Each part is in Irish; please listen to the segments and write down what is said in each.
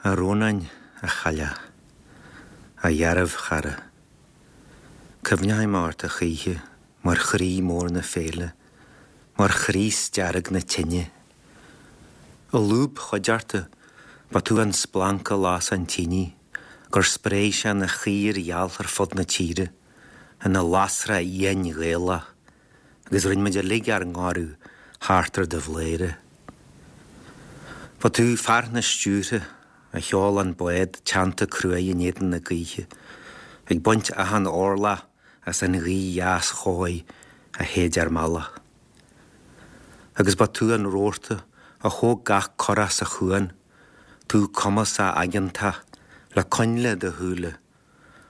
A Rónáin, a chailleach, a dhearbhchara, cuimhneoidh mé ort a choíche mar chroí mór na féile, mar chraos dearg na tine. I lúb chuideachta, ba tú an splanc a las an tine, gur spréigh sé ina chaor gheal ar fud na tíre, ina lasrach fhiáin Ghaelach, agus rinne muid uilig ár ngoradh thart ar do bhladhaire. Ba tú fear na stiúrtha a sheol an bád teannta cruaidh in éadan na gaoithe, ag baint achan orlach as an ghaoth dheas chóir a shéid ár mbealach. Agus ba tú an rabharta a thóg gach curach sa chuan, tú cumasach aigeantach le coinnle i do shúile,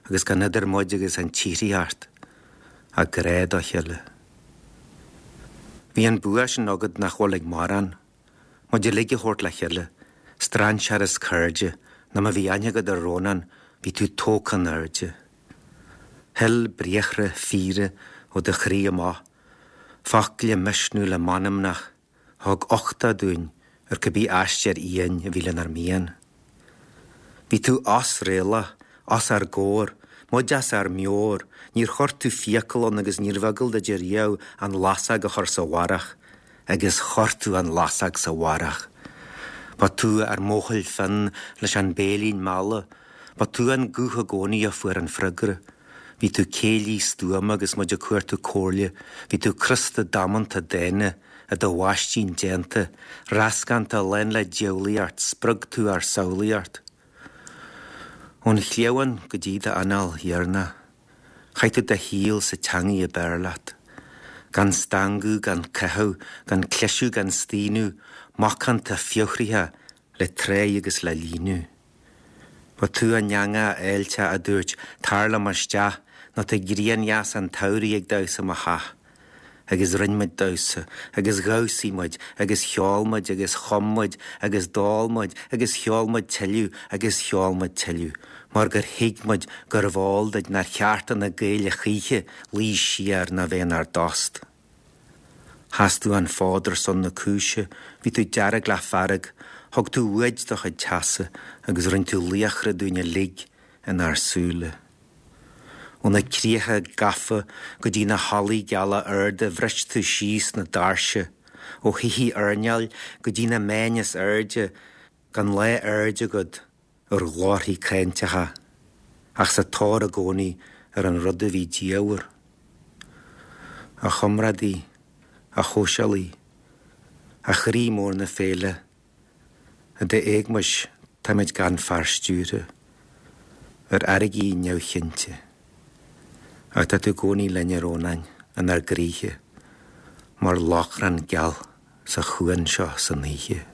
agus gan idir muid agus an tsíoraíocht ach grá dá chéile. Bhí an bua sin agat nach bhfuil ag mórán, muid uilig a thabhairt le chéile, strainséir is cairde, nó má bhí aithne agat ar Rónán, bhí tú tógtha in airde. Shil briathra fíora ó do chroí amach, focla misniúla meanmnach, Thug uchtach dúinn ar cibé aistear fhiáin a bhí lenár mian. Bhí tú osréalach, os ár gcomhair, muid as ár meabhair, níor chuir tú fiacail ann agus níorbh eagal duit ariamh an lasóg a chur sa bharrach, agus chuir tú an lasóg sa bharrach. Ba tú ár mbuachaill fionn leis an béilín meala, ba tú an guth i gcónaí a fuair an freagra. Bhí tú céillí stuama agus muid ag cuartú comhairle, bhí tú crosta damanta dána, i do mhaistín déanta, reascánta lán le diabhlaíocht, spreag tú ár samhlaíocht. Ón chliabhán go dtí d'anáil dheireanach, chaith tú do shaol sa teangaidh ab fhearr leat. Gan stangadh, gan caitheamh, gan cliseadh, gan staonadh, macánta fiabhraithe le tráigh agus le líonadh. Ba tú an eangach fháilteach a dúirt, 'Tar liom isteach, nó tá grian dheas an tsamhraidh ag damhsa i mo theach. Agus rinne muid damhsa, agus dhamhsaigh muid, agus cheol muid, agus chum muid, agus d'ól muid, agus cheol muid tuilleadh, agus cheol muid tuilleadh, mar gur thuig muid gurbh eol duit nár cheart do na Gaeil a choíche luí siar ná bheith inár dtost. Sheas tú an fód ar son na cúise, bhí tú dearg le fearg, thug tú uait do chuid teasa agus rinne tú laochra dúinn uilig inár súile. Ó na críocha gafa go dtí na hallaí geala arda bhris tú síos na doirse, ó thithe airneáil go dtí na meáin is airde, gan lá airde agat ar ghlórthaí cáinteacha, ach sa tóir i gcónaí ar an rud a bhí diamhair. A chomrádaí, a shóisialaí, a chroí mór na féile, i d'éagmais táimid gan fear stiúrtha, ar fharraigí neamhchinnte. Ach tá tú i gcónaí linn, a Rónáin, inár gcroíthe, mar lóchrann geal sa chuan seo san oíche.